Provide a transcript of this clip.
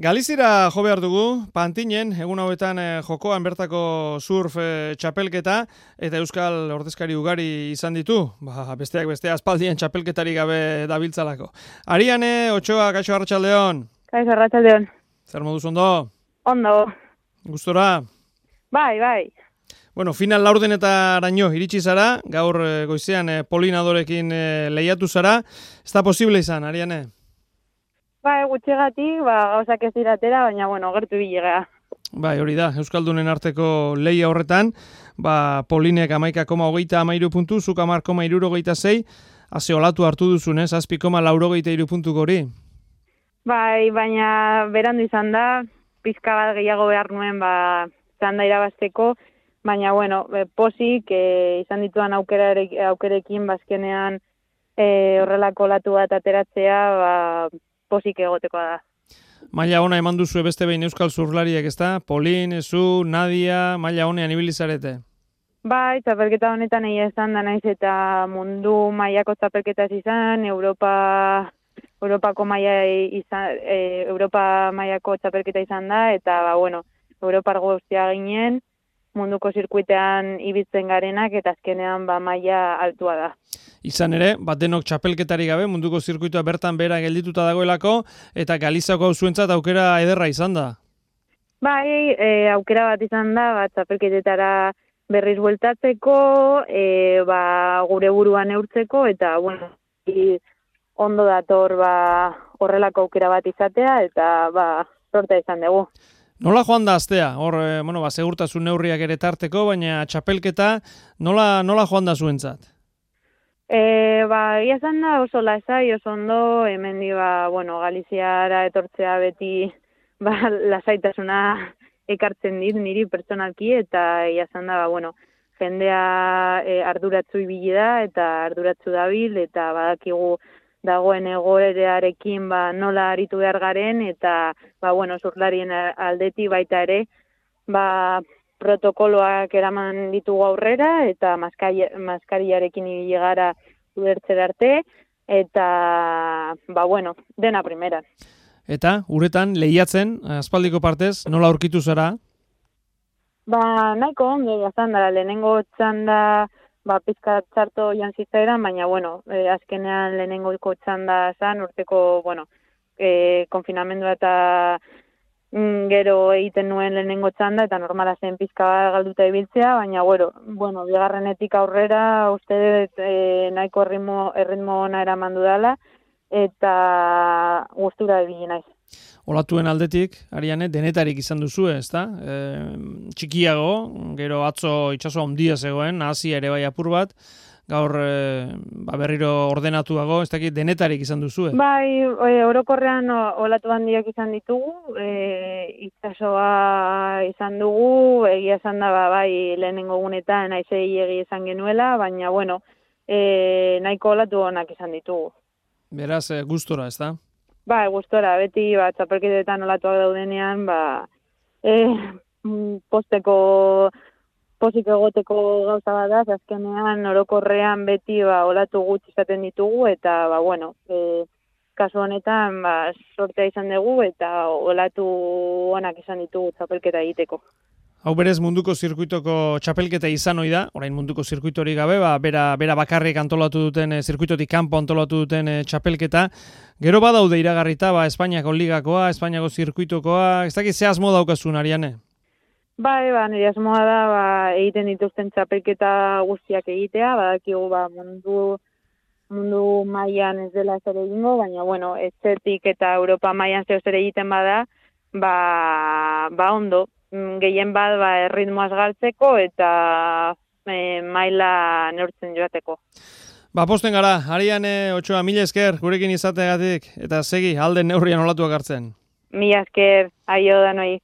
Galizira jo behar dugu, Pantinen, egun hauetan jokoan bertako surf txapelketa, eta Euskal ordezkari ugari izan ditu, besteak bestea aspaldien txapelketari gabe dabiltzalako. Ariane, Otxoa, kaixo arratsaldeon. Kaixo arratsaldeon. Zer moduz ondo? Ondo. Gustora? Bai. Bueno, final laurdenetaraino iritsi zara, gaur goizean Polinadorekin lehiatu zara. Ez da posible izan, Ariane? Gutxigatik, gauzak ez diratera, baina, gertu bilega. Bai, hori da, Euskaldunen arteko lehia horretan, Polinek 11,23 puntu, zuk 10,76, haze olatu hartu duzun, 7,83 puntu gori. Bai, baina berandu izan da, pizka bat gehiago behar nuen, txanda irabazteko, baina, pozik izan dituan aukerekin, bazkenean horrelako olatu bat ateratzea, pozik egotekoa da. Maila ona eman duzu beste behin euskal zurlariek, ezta? Polin, Ezu, Nadia, maila honean ibili zarete. Bai, txapelketa honetan egia esan da naiz eta mundu mailako txapelketa izan, Europako mailako txapelketa izan da, eta Europar guztia ginen, munduko zirkuitean ibiltzen garenak, eta azkenean maila altua da. Izan ere, denok txapelketari gabe, munduko zirkuitoa bertan behera geldituta dagoelako, eta Galizako zuentzat aukera ederra izan da. Bai, aukera bat izan da, txapelketetara berriz bueltatzeko, gure buruan neurtzeko, eta, ondo dator horrelako aukera bat izatea, eta, sorta izan dugu. Nola joan da astea? Hor, segurtasun neurriak ere tarteko, baina txapelketa nola joan da zuentzat? Ia zan da oso lasai, oso ondo, hemendi Galiziara etortzea beti lasaitasuna ekartzen dit niri pertsonalki, eta ia zan da, jendea arduratzu ibili da, eta arduratzu dabil, eta badakigu dagoen egoerearekin nola aritu behar garen, eta zurlarien aldeti baita ere, protokoloak eraman ditugu aurrera, eta maskariarekin ibili gara ulertzera arte, eta, dena primera. Eta, uretan, lehiatzen, aspaldiko partez, nola aurkitu zara? Nahiko ondo, jazan da, lehenengo txanda, pizka txarto jantzitzaeran, baina, azkenean lehenengo txanda zan, urteko, konfinamendua eta gero egiten nuen lehenengo txanda, eta normala zen pizka galduta ibiltzea, baina, bigarrenetik aurrera, uste nahiko erritmo ona eraman dudala, eta gustura ibili naiz. Olatuen aldetik, Ariane, denetarik izan duzu, ezta? Txikiago, gero atzo itsaso handia zegoen, Asia ere bai apur bat, gaur berriro ordenatuago, ez dakit denetarik izan duzu. Bai, orokorrean olatu handiak izan ditugu, itsasoa izan dugu, egia esan da lehenengo gunetan naizei izan genuela, baina nahiko olatu onak izan ditugu. Beraz, gustora, ezta? Gustora, beti txapelketetan olatuak daudenean, pozik egoteko gauza bat da, azkenean orokorrean beti olatu gutxi izaten ditugu, eta kasu honetan sortea izan dugu, eta olatu onak izan ditugu txapelketa egiteko. Hau berez munduko zirkuitoko txapelketa izan ohi da, orain munduko zirkuitori gabe, bera bakarrik antolatu duten, zirkuitotik kanpo antolatu duten txapelketa. Gero badaude iragarrita, Espainiako ligakoa, Espainiako zirkuitokoa, ez dakit ze asmo daukazun, Ariane? Nire asmoa da egiten dituzten txapelketa guztiak egitea, badakigu mundu mailan ez dela zer egingo, baina etxetik eta Europa mailan zer egiten bada, ondo. Gehien bat erritmoaz galtzeko eta maila neurtzen joateko. Posten gara, Ariane Otxoa, mila esker gurekin izateagatik eta segi alden neurrian olatuak hartzen. Mila esker, aio danoi.